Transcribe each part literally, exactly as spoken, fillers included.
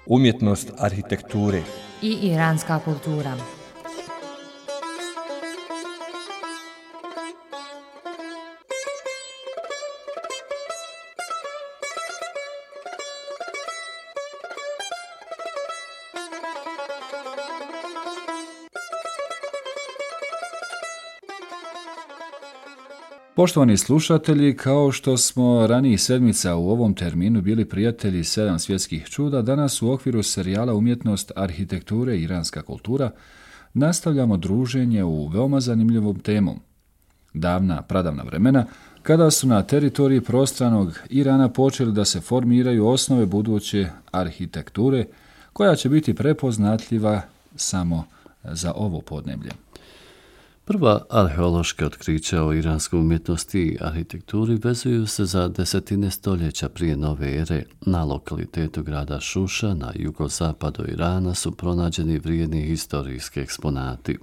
umjetnost arhitekture i iranska kultura. Poštovani slušatelji, kao što smo ranijih sedmica u ovom terminu bili prijatelji sedam svjetskih čuda, danas u okviru serijala Umjetnost arhitekture i iranska kultura nastavljamo druženje u veoma zanimljivom temom. Davna, pradavna vremena, kada su na teritoriji prostranog Irana počeli da se formiraju osnove buduće arhitekture, koja će biti prepoznatljiva samo za ovo podneblje. Prva arheološka otkrića o iranskoj umjetnosti i arhitekturi vezuju se za desetine stoljeća prije nove ere. Na lokalitetu grada Šuša na jugozapadu Irana su pronađeni vrijedni historijski eksponati.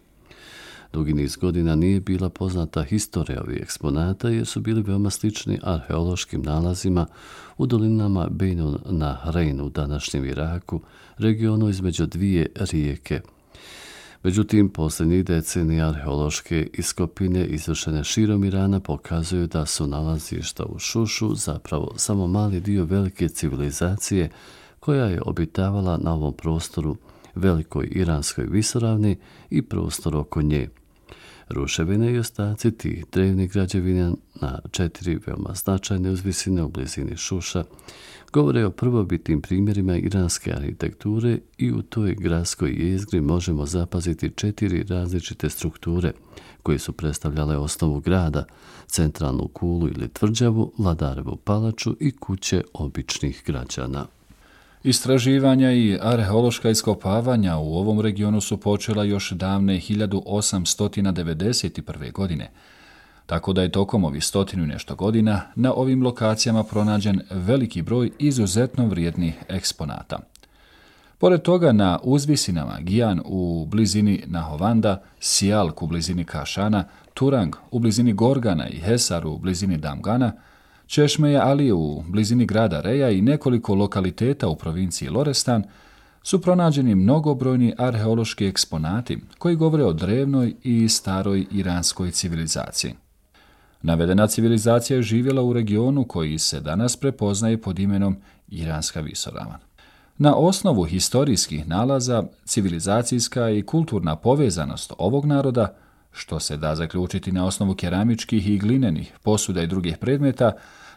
Dugi niz godina nije bila poznata historija ovih eksponata jer su bili veoma slični arheološkim nalazima u dolinama Bejnun Nahrein u današnjem Iraku, regionu između dvije rijeke. Međutim, posljednjih decenija arheološke iskopine izvršene širom Irana pokazuju da su nalazišta u Šušu zapravo samo mali dio velike civilizacije koja je obitavala na ovom prostoru, velikoj iranskoj visoravni i prostor oko nje. Ruševine i ostaci tih drevnih građevina na četiri veoma značajne uzvisine u blizini Šuša govore o prvobitnim primjerima iranske arhitekture i u toj gradskoj jezgri možemo zapaziti četiri različite strukture koje su predstavljale osnovu grada, centralnu kulu ili tvrđavu, vladarevu palaču i kuće običnih građana. Istraživanja i arheološka iskopavanja u ovom regionu su počela još davne hiljadu osamsto devedeset prve. godine, tako da je tokom ovih stotinu i nešto godina na ovim lokacijama pronađen veliki broj izuzetno vrijednih eksponata. Pored toga na uzvisinama Gijan u blizini Nahovanda, Sijalk u blizini Kašana, Turang u blizini Gorgana i Hesar u blizini Damgana, Češmeje Ali u blizini grada Reja i nekoliko lokaliteta u provinciji Lorestan su pronađeni mnogobrojni arheološki eksponati koji govore o drevnoj i staroj iranskoj civilizaciji. Navedena civilizacija je živjela u regionu koji se danas prepoznaje pod imenom Iranska visoravan. Na osnovu historijskih nalaza, civilizacijska i kulturna povezanost ovog naroda, što se da zaključiti na osnovu keramičkih i glinenih posuda i drugih predmeta,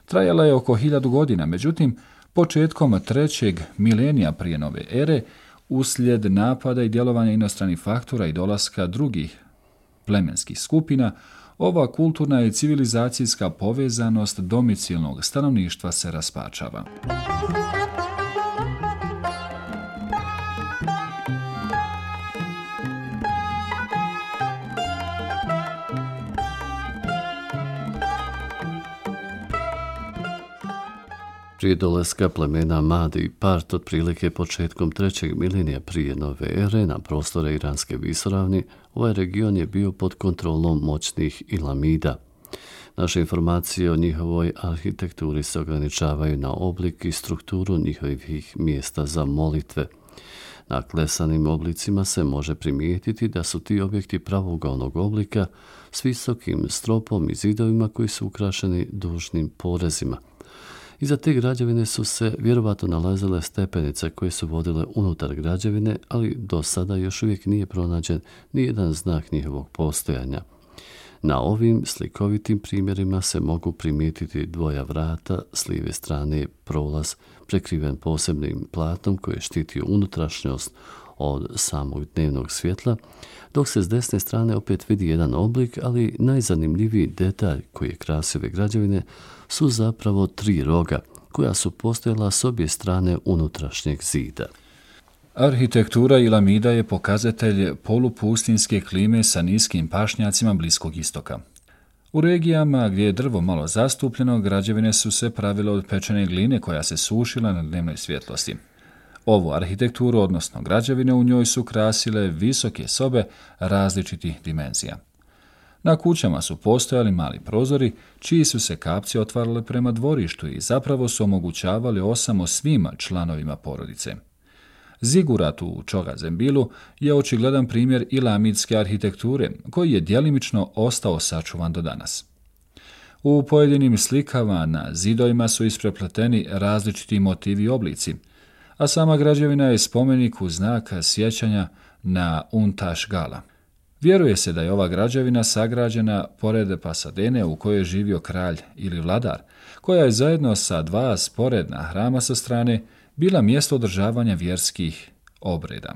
trajala je oko hiljadu godina, međutim, početkom trećeg milenija prije nove ere, uslijed napada i djelovanja inostranih faktora i dolaska drugih plemenskih skupina, ova kulturna i civilizacijska povezanost domicilnog stanovništva se raspačava. Prije dolaska plemena Madi i Part otprilike početkom trećeg milenija prije nove ere na prostore Iranske visoravni, ovaj region je bio pod kontrolom moćnih Ilamida. Naše informacije o njihovoj arhitekturi se ograničavaju na oblik i strukturu njihovih mjesta za molitve. Na klesanim oblicima se može primijetiti da su ti objekti pravougalnog oblika s visokim stropom i zidovima koji su ukrašeni dužnim porezima. Iza te građevine su se vjerovatno nalazile stepenice koje su vodile unutar građevine, ali do sada još uvijek nije pronađen nijedan znak njihovog postojanja. Na ovim slikovitim primjerima se mogu primijetiti dvoja vrata, s lijeve strane je prolaz prekriven posebnim platom koji štiti unutrašnjost od samog dnevnog svjetla, dok se s desne strane opet vidi jedan oblik, ali najzanimljiviji detalj koji je krasio ove građevine su zapravo tri roga, koja su postojala s obje strane unutrašnjeg zida. Arhitektura Ilamida je pokazatelj polupustinske klime sa niskim pašnjacima Bliskog istoka. U regijama gdje je drvo malo zastupljeno, građevine su se pravile od pečene gline koja se sušila na dnevnoj svjetlosti. Ovu arhitekturu, odnosno građevine, u njoj su krasile visoke sobe različitih dimenzija. Na kućama su postojali mali prozori, čiji su se kapci otvarale prema dvorištu i zapravo su omogućavali osamo svima članovima porodice. Zigurat u Čogazembilu je očigledan primjer ilamidske arhitekture, koji je djelimično ostao sačuvan do danas. U pojedinim slikama na zidovima su isprepleteni različiti motivi i oblici, a sama građevina je spomenik u znak sjećanja na Untaš Gala. Vjeruje se da je ova građevina sagrađena pored Pasadene u kojoj je živio kralj ili vladar, koja je zajedno sa dva sporedna hrama sa strane bila mjesto održavanja vjerskih obreda.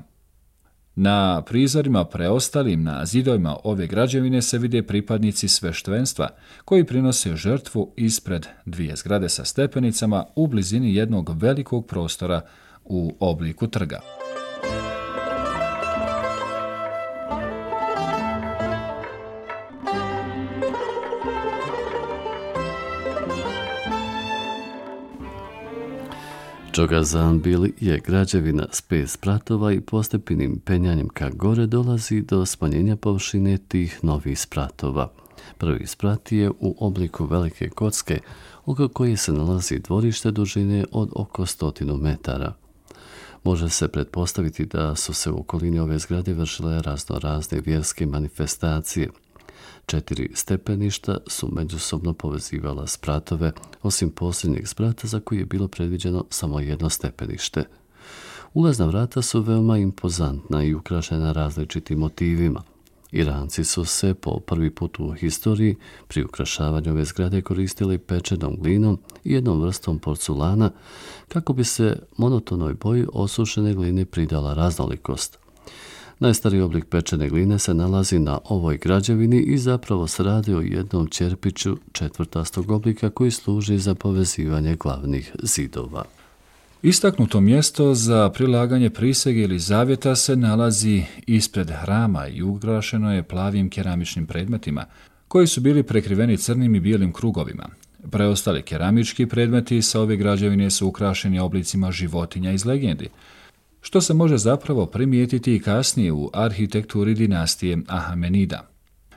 Na prizorima preostalim na zidovima ove građevine se vide pripadnici sveštvenstva koji prinose žrtvu ispred dvije zgrade sa stepenicama u blizini jednog velikog prostora u obliku trga. Čogazembil je građevina s pet spratova i postepenim penjanjem ka gore dolazi do smanjenja površine tih novih spratova. Prvi sprat je u obliku velike kocke, oko koje se nalazi dvorište dužine od oko stotinu metara. Može se pretpostaviti da su se u okolini ove zgrade vršile razno razne vjerske manifestacije. Četiri stepeništa su međusobno povezivala spratove, osim posljednjeg sprata za koji je bilo predviđeno samo jedno stepenište. Ulazna vrata su veoma impozantna i ukrašena različitim motivima. Iranci su se po prvi put u historiji pri ukrašavanju ove zgrade koristili pečenom glinom i jednom vrstom porculana kako bi se monotonoj boji osušene gline pridala raznolikost. Najstariji oblik pečene gline se nalazi na ovoj građevini i zapravo se radi o jednom ćerpiću četvrtastog oblika koji služi za povezivanje glavnih zidova. Istaknuto mjesto za prilaganje prisege ili zavjeta se nalazi ispred hrama i ukrašeno je plavim keramičnim predmetima, koji su bili prekriveni crnim i bijelim krugovima. Preostali keramički predmeti sa ove građevine su ukrašeni oblicima životinja iz legendi, što se može zapravo primijetiti i kasnije u arhitekturi dinastije Ahamenida.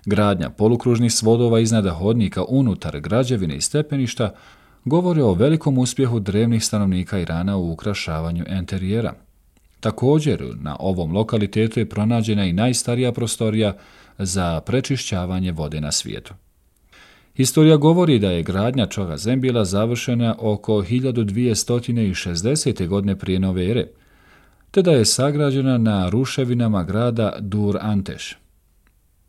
Gradnja polukružnih svodova iznad hodnika unutar građevine i stepeništa govore o velikom uspjehu drevnih stanovnika Irana u ukrašavanju enterijera. Također, na ovom lokalitetu je pronađena i najstarija prostorija za prečišćavanje vode na svijetu. Historija govori da je gradnja Čogazembila završena oko hiljadu dvjesto šezdesete. godine prije nove ere, te da je sagrađena na ruševinama grada Dur Anteš.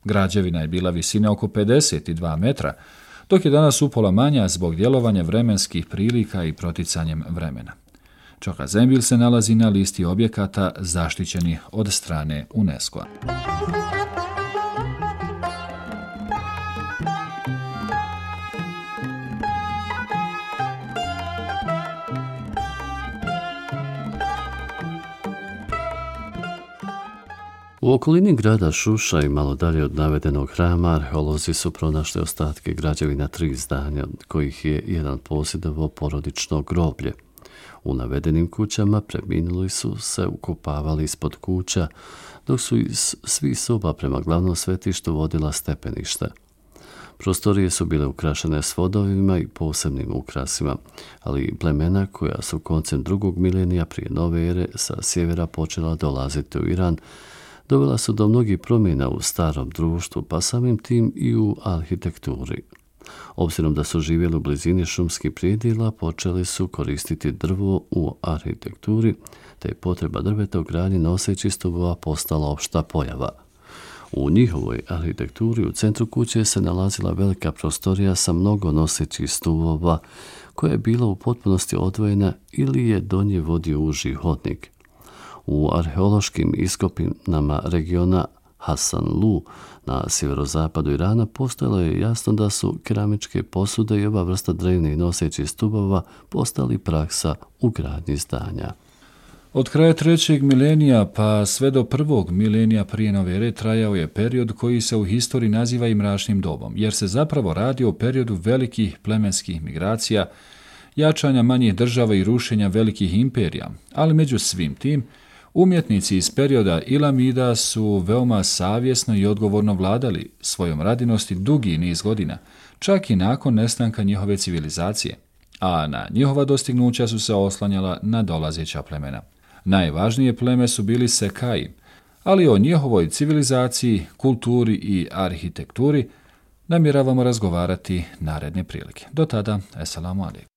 Građevina je bila visine oko pedeset dva metra, dok je danas upola manja zbog djelovanja vremenskih prilika i proticanjem vremena. Čogazembil se nalazi na listi objekata zaštićenih od strane UNESCO-a. U okolini grada Šuša i malo dalje od navedenog hrama arheolozi su pronašli ostatke građevina tri zdanja, od kojih je jedan posjedovao porodično groblje. U navedenim kućama preminuli su se ukopavali ispod kuća, dok su iz svih soba prema glavnom svetištu vodila stepeništa. Prostorije su bile ukrašene s vodovima i posebnim ukrasima, ali plemena koja su koncem drugog milenija prije nove ere sa sjevera počela dolaziti u Iran, dovela su do mnogih promjena u starom društvu, pa samim tim i u arhitekturi. Obzirom da su živjeli u blizini šumskih predjela, počeli su koristiti drvo u arhitekturi, te je potreba drveta u gradnji nosećih stubova postala opšta pojava. U njihovoj arhitekturi u centru kuće se nalazila velika prostorija sa mnogo nosećih stubova, koja je bila u potpunosti odvojena ili je do nje vodio uži hodnik. U arheološkim iskopinama regiona Hasanlu na sjeverozapadu Irana postojalo je jasno da su keramičke posude i ova vrsta drevnih nosećih stubova postali praksa u gradnji zdanja. Od kraja trećeg milenija pa sve do prvog milenija prije nove ere trajao je period koji se u historiji naziva i mračnim dobom, jer se zapravo radi o periodu velikih plemenskih migracija, jačanja manjih država i rušenja velikih imperija, ali među svim tim, umjetnici iz perioda Ilamida su veoma savjesno i odgovorno vladali svojom radinosti dugi niz godina, čak i nakon nestanka njihove civilizacije, a na njihova dostignuća su se oslanjala na dolazeća plemena. Najvažnije pleme su bili Sekaji, ali o njihovoj civilizaciji, kulturi i arhitekturi namjeravamo razgovarati naredne prilike. Do tada, esalamu alejkum.